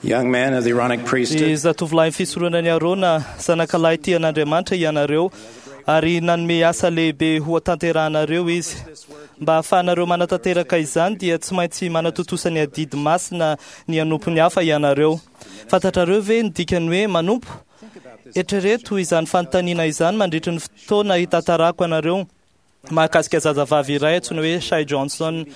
Young men of the Aaronic Ny priesthood, zatovolahy fisoronan'i Arona, zanakalahy tia an'Andriamanitra ianareo, ary nanome asa lehibe ho tanterahanareo izy. Mba hahafahanareo manatanteraka izany dia tsy maintsy manatontosa ny adidy masina ny hanompo ny hafa ianareo. Fantatrareo ve ny dikany hoe manompo? Eritrereto izany fanontaniana izany mandritry ny fotoana hitantarako anareo mahakasika zazavavy iray antsoina hoe Shay Johnson.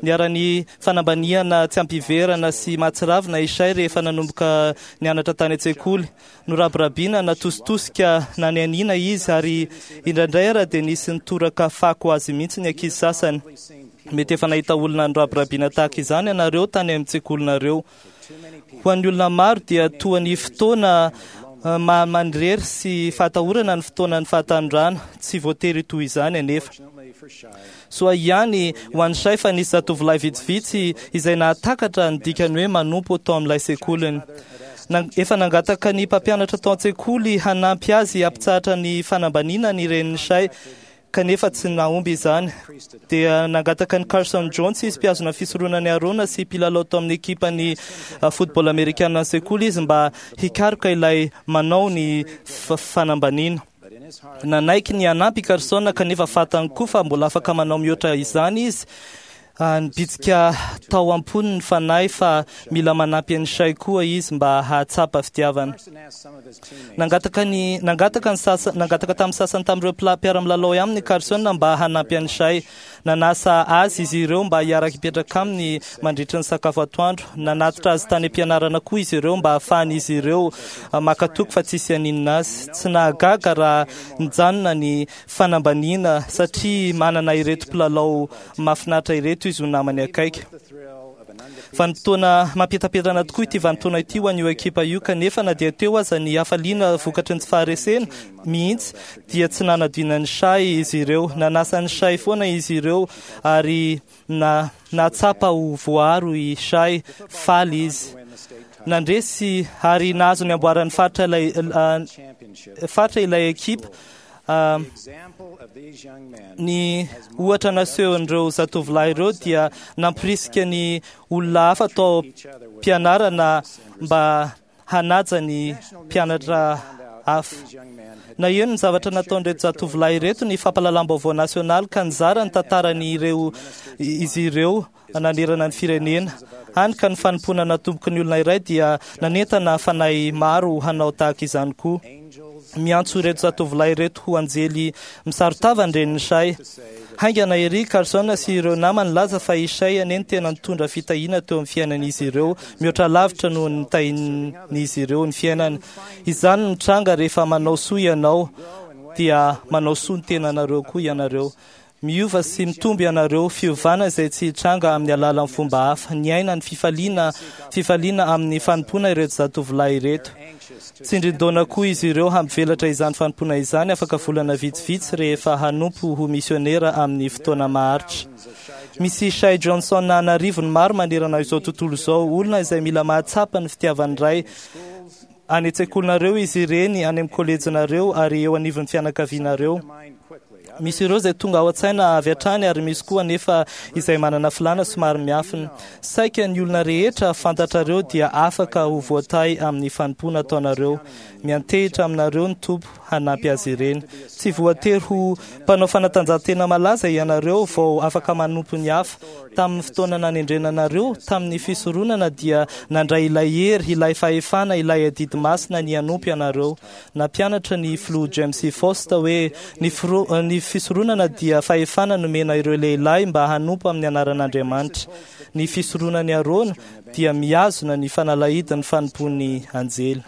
Niharan'ny fanambaniana tsy ampiverana sy mahatsiravina i Shay rehefa nanomboka nianatra tany an-tsekoly. Norabirabiana, natositosika, nanianiana izy ary indraindray ara dia nisy nitoraka fako azy mihitsy ny ankizy sasany. Mety efa nahita olona norabirabiana tahaka izany ianareo tany amin'ny tsekolinareo. Ho an'ny olona maro dia toa ny fotoana maha manirery sy fahatahorana ny fotoanan'ny fahatanorana. Tsy voatery toy izany anefa. Soa ihany ho an'i Shay fa nisy zatovolahy vitsivitsy izay nahatakatra ny dikany hoe manompo tao amin'ilay sekoliny. Efa nangataka ny mpampianatra tao an-tsekoly hanampy azy hampitsahatra ny fanambaniana ny renin'i Shay, kanefa tsy nahomby izany. Dia nangataka an'i Carson Jones izy, mpihazona fisoronan'i Arona sy mpilalao tao amin'ny ekipan'ny football amerikana ny sekoly izy mba hikaroka ilay manao ny fanambaniana. Nanaiky ny hanampy i Carson kanefa fantany koa fa mbola afaka manao mihoatra izany izy. Nibitsika tao am-pony ny fanahy fa mila manampy an'i Shay koa izy mba hahatsapa fitiavana. Nangataka ny nangataka ny sasa nangataka tamin'ny sasany tamin'ireo mpiara-milalao aminy Carson mba hanampy an'i Shay. Nanasa azy izy ireo mba hiara-hipetraka aminy mandritry ny sakafo atoandro. Nanatitra azy tany am-pianarana koa izy ireo mba hahafahan'izy ireo maka toky fa tsisy haninona azy. Tsy nahagaga raha nijanona ny fanambaniana satria manana ireto mpilalao mahafinaritra ireto izy ho namany akaiky. Vanim-potoana mampientampientana tokoa ity vanim-potoana ity ho an'io ekipa io, kanefa na dia teo aza ny hafaliana vokatry ny tsy faharesena mihitsy dia tsy nanadino an'i Shay izy ireo. Nanasa an'i Shay foana izy ireo ary na nahatsapa ho voaaro i Shay, faly izy. Nandresy ary nahazo ny amboaran'ny faritra ilay faritra ilay ekipa. Ny ohatra nasehon'ireo zatovolahy ireo dia nampirisika ny olona hafa tao am-pianarana mba hanaja ny mpianatra hafa. Naheno ny zavatra nataon'ireto zatovolahy ireto ny fampahalalam-baovao nasionaly ka nizara ny tantaran'ireo izy ireo nanerana ny firenena. Hany ka ny fanompoana natomboky ny olona iray dia nanentana fanahy maro hanao tahaka izany koa. Miantso ireto zatovolahy ireto ho anjely misaron-tava ny renin'i Shay. Haingana ery Carson sy ireo namany nilaza fa i Shay anie no tena nitondra fitahiana teo amin'ny fiainan'izy ireo, mihoatra lavitra noho ny nitahian'izy ireo ny fiainany. Izany no mitranga rehefa manao soa ianao, dia manao soa ny tenanareo koa ianareo. Miova sy mitombo ianareo, fiovana izay tsy hitranga amin'ny alalan'ny fomba hafa. Niaina ny fifaliana fifaliana amin'ny fanompoana ireto zatovolahy ireto. Tsindrin-daona koa izy ireo hampivelatra izany fanompoana izany afaka volana vitsivitsy rehefa hanompo ho misionera amin'ny fotoana maharitra. Misy Shay Johnson an'arivony maro manerana izao tontolo izao, olona izay mila mahatsapa ny fitiavan'ny Ray. Any an-tsekolinareo izy ireny, any amin'ny kolejinareo ary eo anivon'ny fianakavianareo. Misy ireo izay tonga ao an-tsaina avy hatrany ary misy koa anefa izay manana filàna somary miafina. Saika ny olona rehetra fantatrareo dia afaka ho voatahy amin'ny fanompoana ataonareo. Miantehitra aminareo ny Tompo hanampy azy ireny. Tsy voatery ho mpanao fanatanjahantena malaza ianareo vao afaka manompo ny hafa. Tamin'ny fotoana nanendrena anareo tamin'ny fisoronana dia nandray ilay hery, ilay fahefana, ilay adidy masina ny hanompo ianareo. Nampianatra ny Filoha James E. Faust hoe ny ny fisoronana dia fahefana nomena ireo lehilahy mba hanompo amin'ny anaran'Andriamanitra. Ny fisoronan'i Arona dia mihazona ny fanalahidin'ny fanompoan'ny anjely.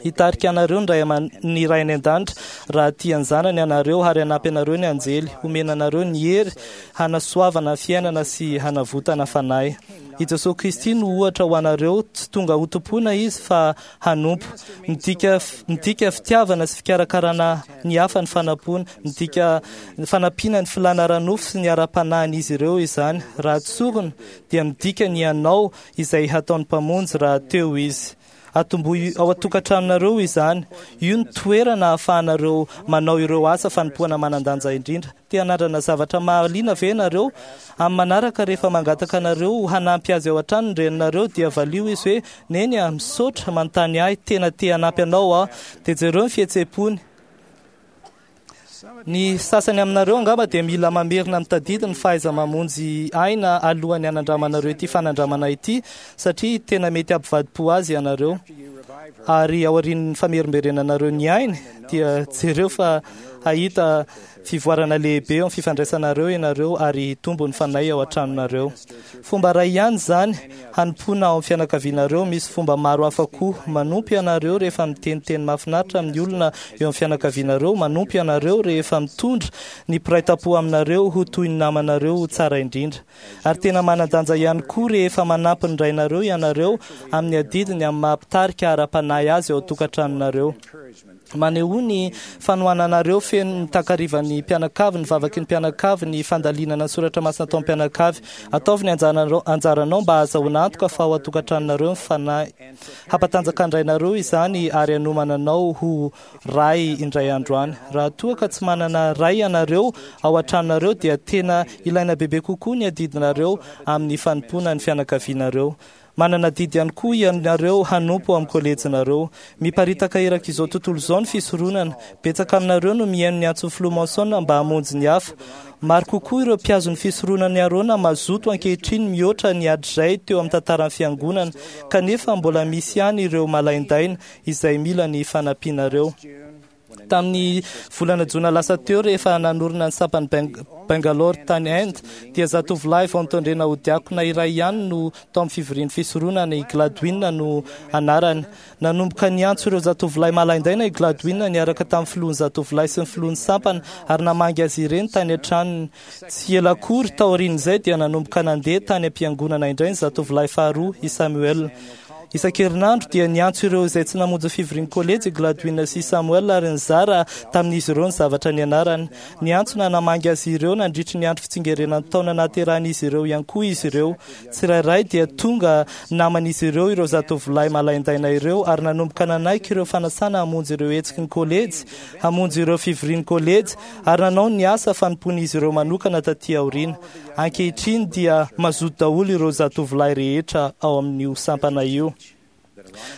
Hitarika anareo ny Ray aman ny Ray any an-danitra raha tia ny zanany ianareo ary hanampy anareo ny anjely. Homena anareo ny hery hanasoavana fiainana sy hanavotana fanahy. I Jesoa Kristy no ohatra ho anareo, tsy tonga hotompoina Izy fa hanompo. Midika midika fitiavana sy fikarakarana ny hafa ny fanampoana. Midika fanampiana ny filàna ara-nofo sy ny ara-panahin'izy ireo izany. Raha tsorina dia midika ny hanao izay hataon'ny Mpamonjy raha teo Izy. Atombohy ao an-tokantranonareo izany. Io no toerana ahafahanareo manao ireo asa fanompoana manan-danja indrindra. Te hanandrana zavatra mahaliana ve ianareo? Amin'ny manaraka rehefa mangataka anareo hanampy azy ao an-trano ny reninareo dia valio izy hoe, Neny a, misaotra manontany ahy, tena te hanampy anao aho. Dia jereo ny fihetseham-pony. Ny sasany aminareo angamba dia mila mamerina mitadidy ny fahaiza-mamonjy aina alohan'ny hanandramanareo ity fanandramana ity, satria tena mety hampivadi-po azy ianareo. Ary aorian'ny famerimberenanareo ny ainy, dia jereo fa hahita fivoarana lehibe eo amin'ny fifandraisanareo ianareo ary hitombo ny fanahy ao an-tranonareo. Fomba iray ihany izany hanompoana ao amin'ny fianakavianareo. Misy fomba maro hafa koa. Manompo ianareo rehefa miteniteny mahafinaritra amin'ny olona eo amin'ny fianakavianareo. Manompo ianareo rehefa mitondra ny mpiray tampo aminareo ho toy ny namanareo ho tsara indrindra. Ary tena manan-danja ihany koa rehefa manampy ny rainareo ianareo amin'ny adidiny amin'ny maha-mpitarika ara-panahy azy ao an-tokantranonareo. Manehoa ny fanohananareo feno ny takarivan'ny mpianakavy, ny vavaky ny mpianakavy, ny fandalinana ny soratra masina atao mpianakavy. Ataovy ny anjaranao mba hahazahoana antoka fa ao an-tokantranonareo ny fanahy. Hampatanjaka ny rainareo izany ary hanomana anao ho ray indray andro any. Raha toa ka tsy manana ray ianareo ao an-tranonareo dia tena ilaina bebe kokoa ny adidinareo amin'ny fanompoana ny fianakavianareo. Manana adidy ihany koa ianareo hanompo ao amin'ny kolejinareo. Miparitaka erak'izao tontolo izao ny fisoronana. Betsaka aminareo no mihaino ny antson'ny Filoha Monson mba hamonjy ny hafa. Maro kokoa ireo mpihazo ny fisoronan'i Arona mazoto ankehitriny mihoatra ny hatrizay teo amin'ny tantaran'ny Fiangonana, kanefa mbola misy ihany ireo malaindaina izay mila ny fanampianareo. Tamin'ny volana jona lasa teo, rehefa nanorina ny sampan'i Bangalore tany Inde, dia zatovolahy vao notendrena ho diakona iray ihany no tao amin'ny fivorian'ny fisoronana, i Gladwin no anarany. Nanomboka niantso ireo zatovolahy malaindaina i Gladwin niaraka tamin'ny filohan'ny zatovolahy sy ny filohan'ny sampana ary namangy azy ireny tany an-tranony. Tsy ela akory taorian'izay dia nanomboka nandeha tany am-piangonana indray ny zatovolahy faharoa, i Samuel. Isan-kerinandro dia niantso ireo izay tsy namonjy fivorian'ny kolejy i Gladwin sy Samuel ary nizara tamin'izy ireo ny zavatra nianarany. Niantso na namangy azy ireo nandritry ny andro fitsingerenan'ny taona nahaterahan'izy ireo ihany koa izy ireo. Tsirairay dia tonga naman'izy ireo ireo zatovolahy malaindaina ireo ary nanomboka nanaiky ireo fanasana hamonjy ireo hetsiky ny kolejy, hamonjy ireo fivorian'ny kolejy ary nanao ny asa fanompoan'izy ireo manokana taty aoriana. Ankehitriny dia mazoto daholo ireo zatovolahy rehetra ao amin'io sampana io.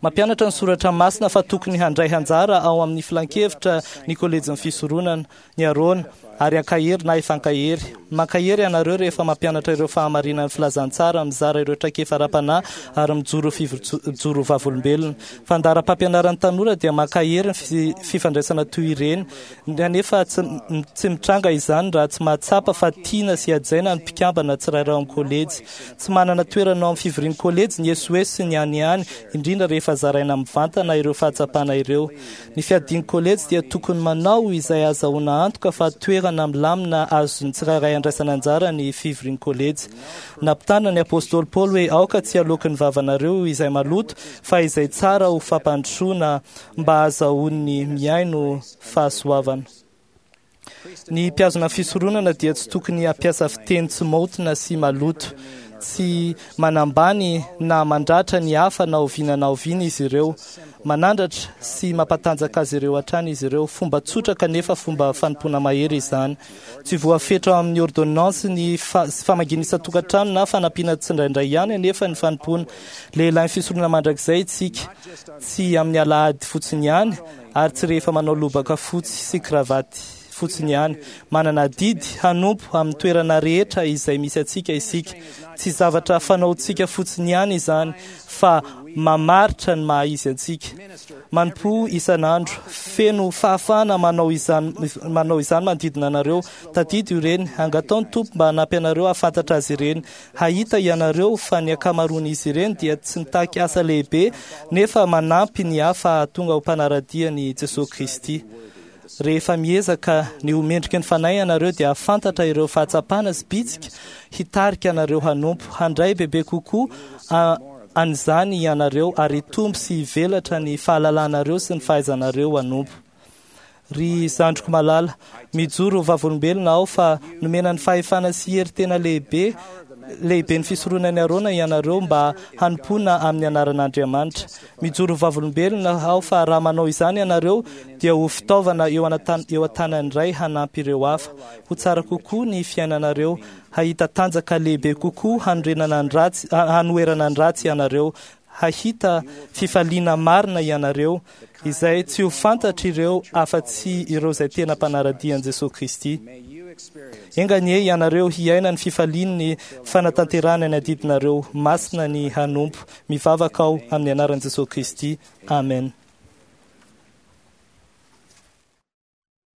Mampianatra ny soratra masina fa tokony handray anjara ao amin'ny filankevitra ny kolejin'ny fisoronana, ny Arona, ary hankahery na hifankahery. Mankahery ianareo rehefa mampianatra ireo fahamarinan'ny filazantsara, mizara ireo traikefa ara-panahy ary mijoro mijoro vavolombelona. Fandaharam-pampianaran'ny tanora dia mankahery ny fifandraisana toy ireny, Kanefa tsy mitranga izany raha tsy mahatsapa fa tiana sy hajaina ny mpikambana tsirairay ao amin'ny kolejy. Tsy manana toerana ao amin'ny fivorian'ny kolejy ny esoeso sy ny hanihany, indrindra rehefa zaraina mivantana ireo fahatsapana ireo. Ny fiadian'ny kolejy dia tokony manao izay hahazahoana antoka fa toerana milamina azon'ny tsirairay andraisana anjara ny fivorian'ny kolejy. Nampitandrina ny apostoly Paoly hoe aoka tsy haloaky ny vavanareo izay maloto fa izay tsara ho fampandrosoana mba hahazahoan'ny mihaino fahasoavana. Ny mpihazona fisoronana dia tsy tokony hampiasa fiteny tsy maotina sy maloto. Tsy manambany na mandratra ny hafa na oviana na oviana izy ireo. Manandratra sy mampatanjaka azy ireo hatrany izy ireo. Fomba tsotra kanefa fomba fanompoana mahery izany. Tsy voafetra ao amin'ny ôrdônansy ny famangiana isan-tokantrano na fanampiana tsindraindray ihany anefa ny fanompoana. Lehilahy fisoronana mandrakizay isika, tsy amin'ny alahady fotsiny ihany ary tsy rehefa manao lobaka fotsy sy kravaty fotsiny ihany. Manana adidy hanompo amin'ny toerana rehetra izay misy antsika isika. Tsy zavatra fanaontsika fotsiny ihany izany fa mamaritra ny maha izy antsika. Manompoa isan'andro, feno fahafahana manao izany manao izany manodidina anareo. Tadidio ireny, angataho ny Tompo mba hanampy anareo hahafantatra azy ireny. Hahita ianareo fa ny ankamaroan'izy ireny dia tsy mitaky asa lehibe nefa manampy ny hafa hahatonga ho mpanara-dia an'i Jesoa Kristy. Rehefa miezaka ny ho mendriky ny Fanahy ianareo dia hahafantatra ireo fahatsapana sy bitsika hitarika anareo hanompo. Handray bebe kokoa an'izany ianareo ary hitombo sy hivelatra ny fahalalanareo sy ny fahaizanareo hanompo. Ry zandriko malala, mijoro ho vavolombelona aho fa nomena ny fahefana sy hery tena lehibe lehiben'ny fisoronan'i Arona ianareo mba hanompoana amin'ny anaran'Andriamanitra. Mijoro vavolombelona aho fa raha manao izany ianareo dia ho fitaovana eo an-tanan'ny Ray hanampy ireo hafa. Ho tsara kokoa ny fiainanareo, hahita tanjaka lehibe kokoa hanorenana ny ratsy, hanoherana ny ratsy ianareo, hahita fifaliana marina ianareo, izay tsy ho fantatr'ireo afa-tsy ireo izay tena mpanara-dia an'i Jesosy Kristy. Enga anie ianareo hiaina ny fifalian'ny fanatanterahana ny adidinareo masina ny hanompo. Mivavaka aho amin'ny anaran'i Jesosy Kristy. Amen.